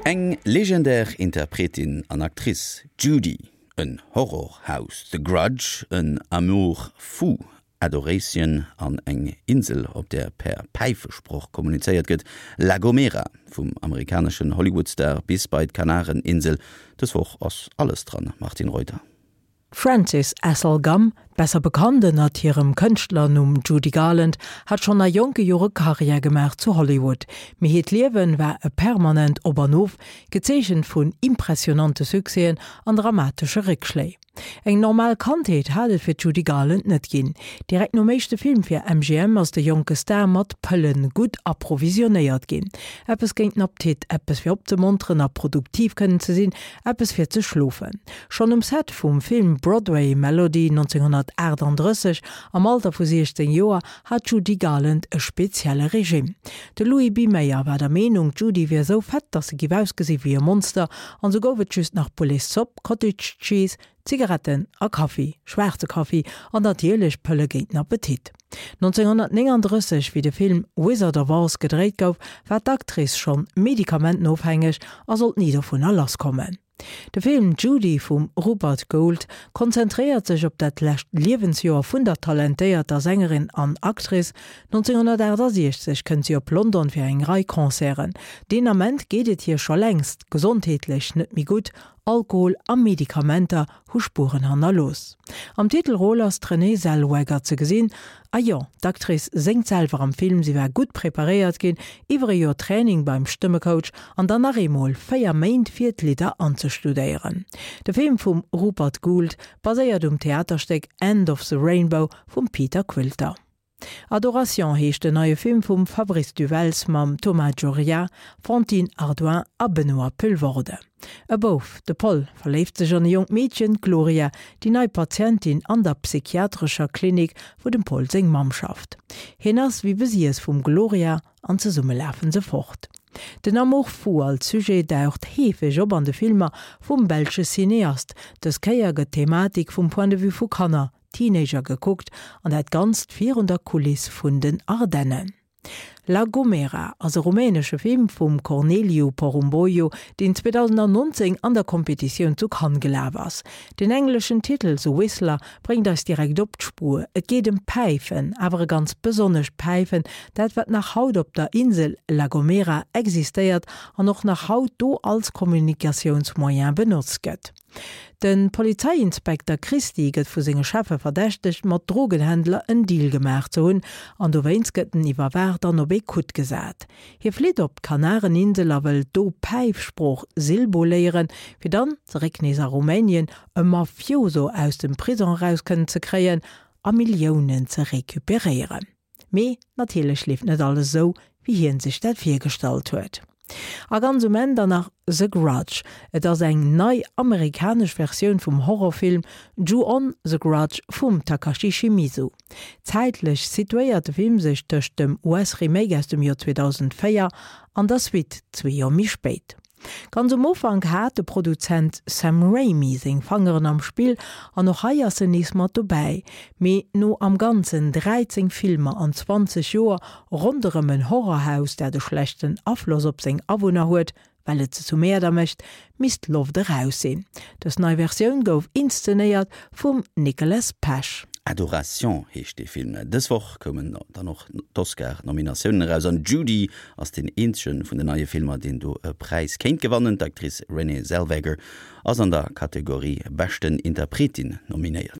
Eng legendär Interpretin an Actrice, Judy, en Horrorhaus, The Grudge, en Amour fou, Adoration an eng Insel, op där per Päifesproch kommunizéiert gëtt, La Gomera. Vum amerikaneschen Hollywood-Star bis bei d'Kanareninsel, dës Woch ass alles dran, Martine Reuter. D'Frances Ethel Gumm, besser bekannt ënnert hirem Kënschtlernumm Judy Garland, hat schonn a jonke Jore Karriär gemaach zu Hollywood. Mee hiert Liewen war e permanent Op an Of, gezeechent vun impressionante Succèsen an dramatesche Réckschléi. Eng normal Kandheet hat et fir d'Judy Garland net ginn. Direkt nom éischte Film fir MGM ass de jonke Star mat Pëlle gutt approvisionnéiert ginn. Eppes géint den Appetit, eppes fir opzemonteren a produktiv kënnen ze sinn, eppes fir ze schlofen. Schonn um Set vum Film Broadway Melody 1938, am Alter vu 16 Joer, hat d'Judy Garland e spezielle Regime. De Louis B. Mayer war der Meenung, d'Judy wier esou fett, datt se giff ausgesi wéi e Monster, an sou gouf et just nach Pouletszopp, Cottage Cheese, Zigaretten a Kaffi, schwaarze Kaffi, an natierlech Pëlle géint den Appetit. 1939, wéi de Film Wizard of Oz gedréit gouf, war d'Actrice schonn medikamentenofhängeg a sollt ni dovunner lasskommen. De Film Judy vum Rupert Goold konzentréiert sech op dat lescht Liewensjoer vun der talentéierter Sängerin an Actrice. 1968 kënnt si op London fir eng Rei Concerten. Deen Ament geet et hir scho längst gesondheetlech net méi gutt, Alkohol a Medikamenter hu Spueren hannerlooss. Am Titelrôle ass d'Renée Zellweger ze gesinn. A jo, d'Actrice séngt selwer am Film, si war gutt preparéiert ginn, iwwer e Joer Training beim Stëmmecoach an dann nach eemol 4 Méint fir d'Lidder anzestudéieren. De Film vum Rupert Goold baséiert um Theaterstéck End of the Rainbow vum Peter Quilter. Adoration heescht den neie Film vum Fabrice du Welz mam Thomas Gioria, Fantine Hardoin a Benoît Poelvoorde. E Bouf, de Paul, verléift sech an e jonkt Meedchen, d'Gloria, déi nei Patientin an der psychiatrescher Klinik, wou dem Paul seng Mamm schafft. Hien ass wéi besiess vum Gloria an zesumme lafen se fort. Den Amour fou als Sujet daucht heefeg op an de Filmer vum belsche Cineast. Dës Kéier gëtt d'Thematik vum Point de vue vu Kanner, Teenager gekuckt, an dat Ganzt virun der Kuliss vun den Ardennen. La Gomera ass e rumänesche Film vum Corneliu Porumboiu, deen 2019 an der Kompetitioun zu Cannes gelaf ass. Den engleschen Titel The Whistler bréngt eis direkt op d'Spuer, et geet ëm Päifen, awer e ganz besonnescht Päifen, dat wat nach haut op der Insel La Gomera existéiert an och nach haut do als Kommunikatiounsmoyen benotzt gëtt. De Polizeiinspekter Christy gëtt vu senge Cheffe verdächtegt, mat Drogenhändler en Deal gemaach ze hunn an dowéinst gëtt en iwwerwaacht an op Ecoute gesat. Hie flitt op d'Kanareninsel a wëll do Päifsprooch Silbo léieren, fir dann zeréck nees a Rumänien e Mafioso aus dem Prisong eraus kënnen ze kréien a Milliounen ze recuperéieren. Mee natierlech leeft net alles esou, wéi hien sech dat virgestallt huet. A ganz um Enn dann nach The Grudge. Et ass eng nei amerikanesch Versioun vum Horrorfilm Ju-On, The Grudge vum Takashi Shimizu. Zäitlech situéiert de Film sech tëscht dem US-Remake aus dem Joer 2004 an der Suite zwee Joer méi spéit. Ganz um Ufank hat de Produzent Sam Raimi seng Fangeren am Spill an och hei ass en nees mat dobäi. Mee no am Ganzen 13 Filmer an 20 Joer ronderëm en Horrorhaus, dat e schlechten Afloss op seng Awunner huet, well et se zu Mäerder mécht, misst d'Loft eraus sinn. Dës nei Versioun gouf inszenéiert vum Nicholas Pesch. Adoration heescht dee Film. Dës Woch koumen dann och d'Oscar-Nominatiounen eraus an Judy ass deen eenzege vun den neie Filmer, deen do e Präis kéint gewannen. D'Actrice Renée Zellweger ass an der Kategorie Beschten Interpretin nominéiert.